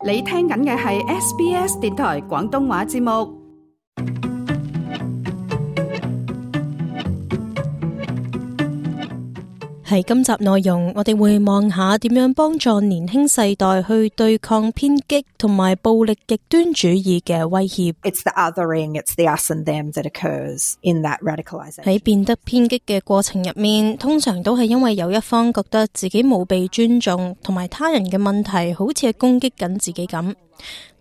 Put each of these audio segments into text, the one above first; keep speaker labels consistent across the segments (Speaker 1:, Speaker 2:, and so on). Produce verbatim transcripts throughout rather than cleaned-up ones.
Speaker 1: 你聽緊嘅係 S B S 電台廣東話節目。
Speaker 2: 喺今集內容，我哋會望下點樣幫助年輕世代去對抗偏激同埋暴力極端主義嘅威脅。
Speaker 3: It's the othering, it's the us and them that occurs in that radicalization.
Speaker 2: 喺變得偏激嘅過程入面，通常都係因為有一方覺得自己冇被尊重，同埋他人嘅問題好似係攻擊緊自己咁。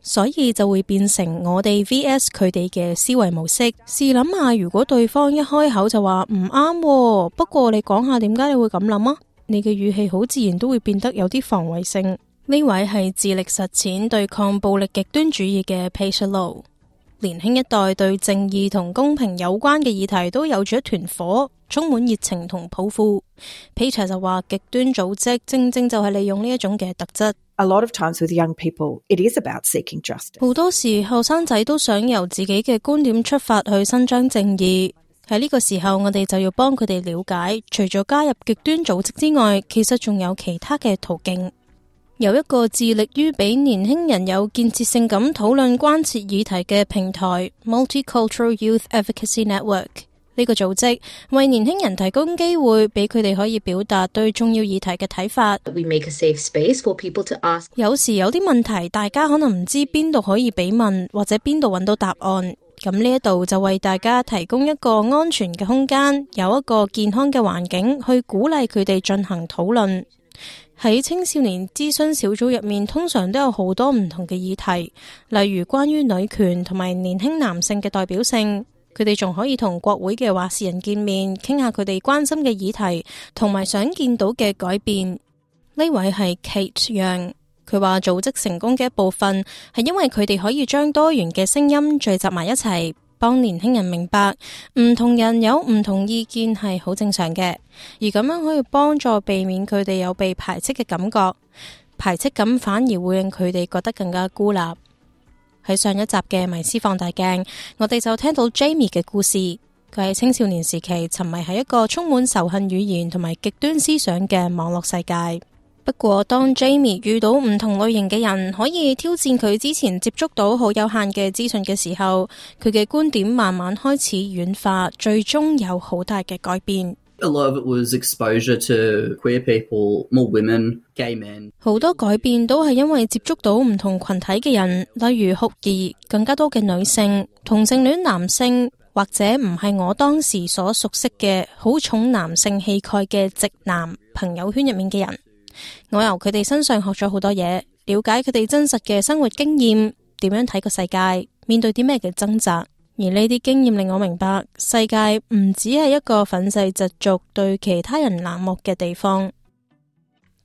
Speaker 2: 所以就會變成我哋 V S 佢哋嘅思維模式。試諗下，如果對方一開口就話唔啱，不過你講下點解你會咁諗啊？你嘅語氣好自然都會變得有啲防衛性。呢位係致力實踐對抗暴力極端主義嘅 Peter Low。年輕一代對正義同公平有關嘅議題都有住一團火，充滿熱情同抱負。Peter 就話極端組織正正就係利用呢一種嘅特質。
Speaker 3: A lot of times with young people, it is about seeking justice.
Speaker 2: 好多時後生仔都想由自己嘅觀點出發去伸張正義。喺呢個時候，我哋就要幫佢哋了解，除咗加入極端組織之外，其實仲有其他嘅途徑。有一個致力於俾年輕人有建設性咁討論關切議題嘅平台 Multicultural Youth Advocacy Network。呢個組織為年輕人提供機會，俾佢哋可以表達對重要議題嘅睇法。
Speaker 4: We make a safe space for people to ask.
Speaker 2: 有時有啲問題，大家可能唔知邊度可以俾問，或者邊度揾到答案。咁呢一度就為大家提供一個安全嘅空間，有一個健康嘅環境，去鼓勵佢哋進行討論。喺青少年諮詢小組入面，通常都有好多唔同嘅議題，例如關於女權同埋年輕男性嘅代表性。佢哋仲可以同國會嘅話事人見面，傾下佢哋關心嘅議題，同埋想見到嘅改變。呢位係 Kate Young， 佢話組織成功嘅一部分係因為佢哋可以將多元嘅聲音聚集埋一齊，幫年輕人明白唔同人有唔同意見係好正常嘅，而咁樣可以幫助避免佢哋有被排斥嘅感覺。排斥感反而會令佢哋覺得更加孤立。喺上一集嘅迷思放大鏡，我哋就聽到 Jamie 嘅故事。佢喺青少年時期沉迷喺一個充滿仇恨語言同埋極端思想嘅網絡世界。不過當 Jamie 遇到唔同類型嘅人，可以挑戰佢之前接觸到好有限嘅資訊嘅時候，佢嘅觀點慢慢開始軟化，最終有好大嘅改變。
Speaker 5: A lot of it was exposure to queer people, more women, gay men.
Speaker 2: 好多改變都係因為接觸到唔同群體嘅人，例如酷兒、更加多嘅女性、同性戀男性，或者唔係我當時所熟悉嘅好重男性氣概嘅直男朋友圈入面嘅人。我由佢哋身上學咗好多嘢，了解佢哋真實嘅生活經驗，點樣睇個世界，面對啲咩嘅掙扎。而呢啲經驗令我明白，世界唔只係一個憤世嫉俗、對其他人冷漠嘅地方。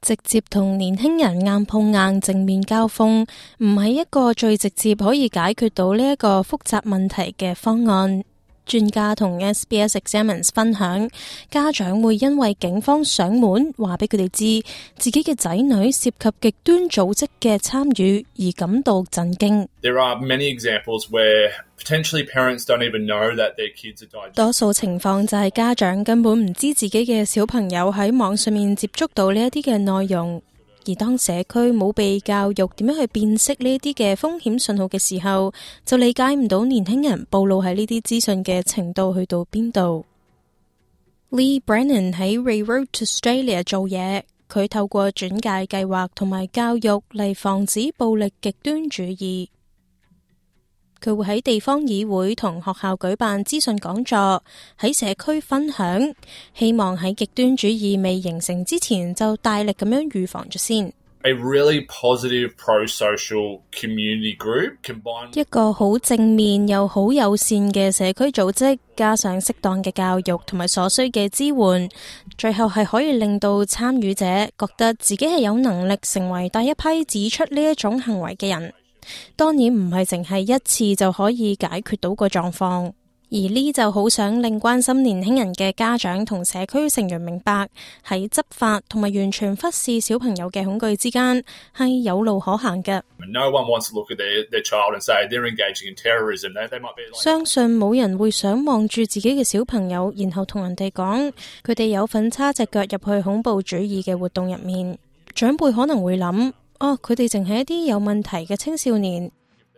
Speaker 2: 直接同年輕人硬碰硬、正面交鋒，唔係一個最直接可以解決到呢一個複雜問題嘅方案。專家同 S B S Examines 分享，家長會因為警方上門話俾佢哋知自己嘅仔女涉及極端組織嘅參與而感到震驚。
Speaker 6: There are many examples where potentially parents don't even know that their kids are diagnosed.
Speaker 2: 多數情況就係家長根本唔知自己嘅小朋友喺網上面接觸到呢一啲嘅內容。而當社區冇被教育點樣去辨識呢啲嘅風險信號嘅時候，就理解唔到年輕人暴露喺呢啲資訊嘅程度去到邊度。Lee Brennan 喺 Railroad to Australia 做嘢，佢透過轉介計劃同埋教育嚟防止暴力極端主義。佢會喺地方議會同學校舉辦資訊講座，喺社區分享，希望喺極端主義未形成之前就大力咁樣預防咗先。
Speaker 6: A really positive pro-social community group combined
Speaker 2: 一個好正面又好友善嘅社區組織，加上適當嘅教育同埋所需嘅支援，最後係可以令到參與者覺得自己係有能力成為第一批指出呢一種行為嘅人。當然唔係淨係一次就可以解決到個狀況，而呢就好想令關心年輕人嘅家長同社區成員明白，喺執法同埋完全忽視小朋友嘅恐懼之間係有路可行嘅。
Speaker 6: No one wants to look at their, their child and say they're engaging in terrorism. They, they might be like...
Speaker 2: 相信冇人會想望住自己嘅小朋友，然後同人哋講佢哋有份叉隻腳入去恐怖主義嘅活動入面。長輩可能會諗，哦，佢哋淨係一啲有問題嘅青少年，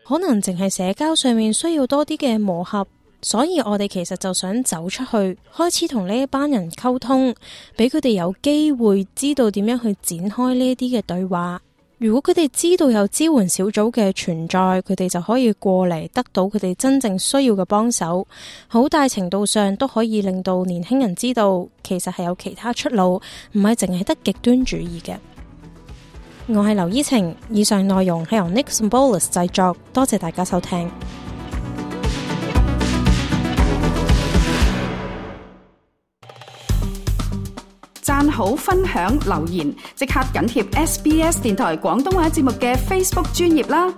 Speaker 2: 可能淨係社交上面需要多啲嘅磨合，所以我哋其實就想走出去，開始同呢一班人溝通，俾佢哋有機會知道點樣去展開呢啲嘅對話。如果佢哋知道有支援小組嘅存在，佢哋就可以過嚟得到佢哋真正需要嘅幫手，好大程度上都可以令到年輕人知道，其實係有其他出路，唔係淨係得極端主義嘅。我係劉依晴，以上內容係由 Nick Symbolis 製作，多謝大家收聽。
Speaker 1: 讚好、分享、留言，即刻緊貼 S B S 電台廣東話節目嘅 Facebook 專頁啦！